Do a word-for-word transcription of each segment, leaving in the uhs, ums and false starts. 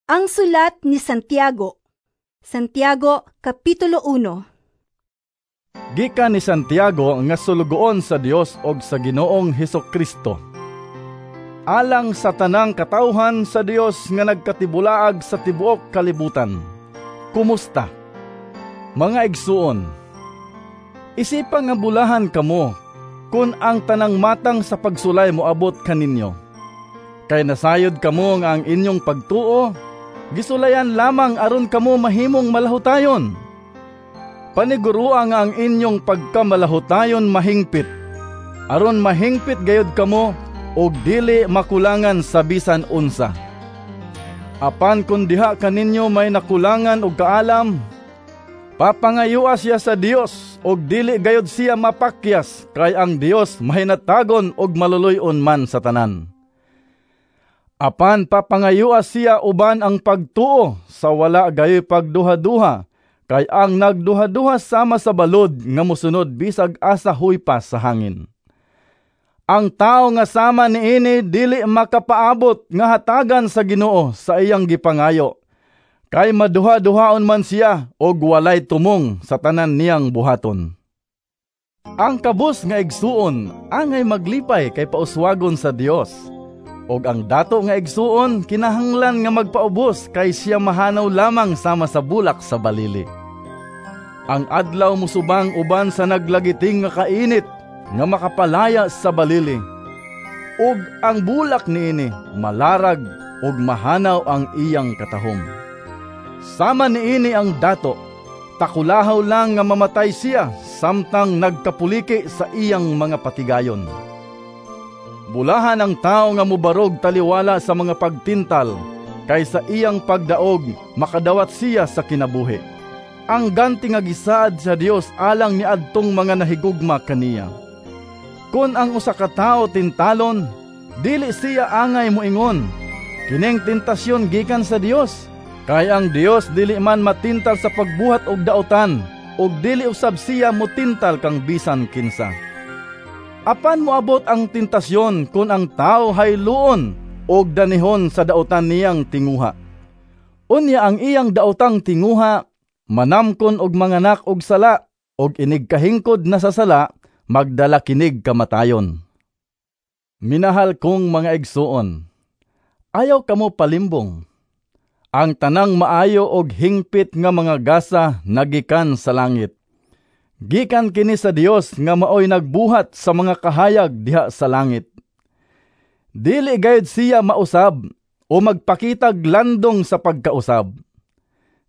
Ang sulat ni Santiago. Santiago, Kapitulo uno. Gikan ni Santiago nga sulugoon sa Dios og sa Ginoong Hesukristo. Alang sa tanang katawhan sa Dios nga nagkatibulaag sa tibuok kalibutan. Kumusta? Mga igsuon, isipa nga bulahan kamo kun ang tanang matang sa pagsulay moabot kaninyo. Kay nasayod kamo nga ang inyong pagtuo gisulayan lamang aron kamo mahimong malahutayon. Panigurua nga ang inyong pagkamalahutayon mahingpit, aron mahingpit gayud kamo og dili makulangan sa bisan unsa. Apan kun diha kaninyo may nakulangan og kaalam, papangayua siya sa Dios og dili gayud siya mapakyas, kay ang Dios mahinatagon og maluluy-on man sa tanan. Apan papangayua siya uban ang pagtuo sa wala gayoy pagduha-duha, kay ang nagduha-duha sama sa balod nga mosunod bisag asa huypas sa hangin. Ang tawo nga sama niini dili makapaabot nga hatagan sa Ginoo sa iyang gipangayo, kay maduha-duhaon man siya og walay tumong sa tanan niyang buhaton. Ang kabus nga igsuon angay maglipay kay pauswagon sa Dios, ug ang dato nga igsuon kinahanglan nga magpaubos kay siya mahanaw lamang sama sa bulak sa balili. Ang adlaw mosubang uban sa naglagiting nga kainit nga makapalaya sa balili, ug ang bulak niini malarag ug mahanaw ang iyang katahom. Sama niini ang dato, takulahaw lang nga mamatay siya samtang nagkapuliki sa iyang mga patigayon. Bulahan ang tao nga mobarog taliwala sa mga pagtintal, kay sa iyang pagdaog makadawat siya sa kinabuhi. Ang ganti nga gisaad sa Dios alang niadtong mga nahigugma kaniya. Kon ang usa ka tawo tintalon, dili siya angay moingon, "Kining tentasyon gikan sa Dios," kay ang Dios dili man matintal sa pagbuhat og dautan, ug dili usab siya motintal kang bisan kinsa. Apan moabot ang tentasyon kon ang tawo hayluon og danihon sa dautan niyang tinguha. Unya ang iyang daotang tinguha manamkon og manganak og sala, og inig kahingkod na sa sala, magdala kinig kamatayon. Minahal kong mga igsuon, ayaw kamo palimbong. Ang tanang maayo og hingpit nga mga gasa nagikan sa langit. Gikan kini sa Dios nga maoy nagbuhat sa mga kahayag diha sa langit. Dili gayud siya mausab o magpakitag landong sa pagkausab.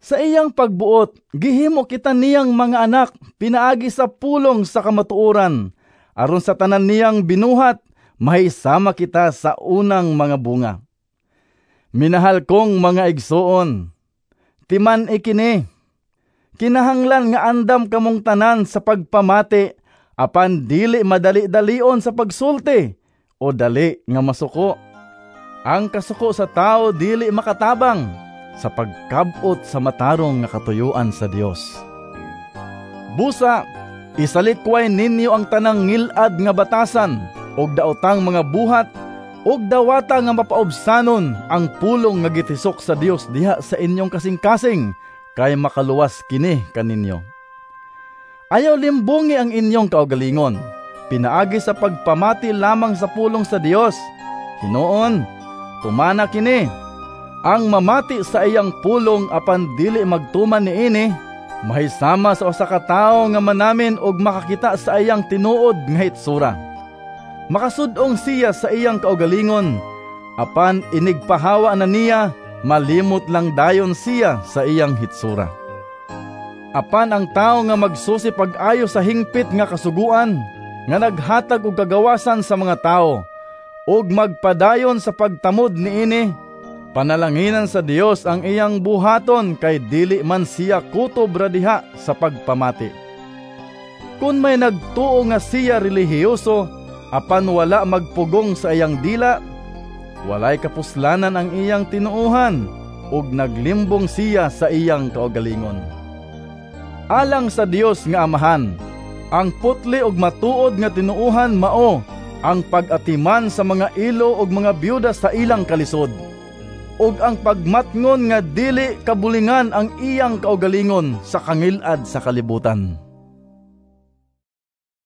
Sa iyang pagbuot, gihimo kita niyang mga anak pinaagi sa pulong sa kamatuoran, aron sa tanan niyang binuhat, mahisama kita sa unang mga bunga. Minahal kong mga igsuon, timan-i kini. Kinahanglan nga andam kamong tanan sa pagpamati, apan dili madali-dalion sa pagsulti o dali nga masuko. Ang kasuko sa tao dili makatabang sa pagkab-ot sa matarong nga katuyuan sa Dios. Busa, isalikway ninyo ang tanang ngil-ad nga batasan ug daotang mga buhat ug dawata nga mapaubsanon ang pulong nga gitisok sa Dios diha sa inyong kasing-kasing, kay makaluwas kini kaninyo. Ayaw limbungi ang inyong kaugalingon, pinaagi sa pagpamati lamang sa pulong sa Dios. Hinuon, tumana kini. Ang mamati sa iyang pulong apan dili magtuman niini, mahisama sa usa ka tawo nga manamin og makakita sa iyang tinuod nga hitsura. Makasud-ong siya sa iyang kaugalingon, apan inigpahawa na niya, malimot lang dayon siya sa iyang hitsura. Apan ang tawo nga magsusi pag-ayo sa hingpit nga kasuguan, nga naghatag og kagawasan sa mga tawo, ug magpadayon sa pagtamod niini, panalanginan sa Dios ang iyang buhaton kay dili man siya kutob ra diha sa pagpamati. Kun may nagtuo nga siya relihiyoso, apan wala magpugong sa iyang dila, walay kapuslanan ang iyang tinuohan, ug naglimbong siya sa iyang kaugalingon. Alang sa Dios nga Amahan, ang putli ug matuod nga tinuohan mao ang pag-atiman sa mga ilo ug mga byuda sa ilang kalisod. Ug ang pagmatngon nga dili kabulingan ang iyang kaugalingon sa kangil-ad sa kalibutan.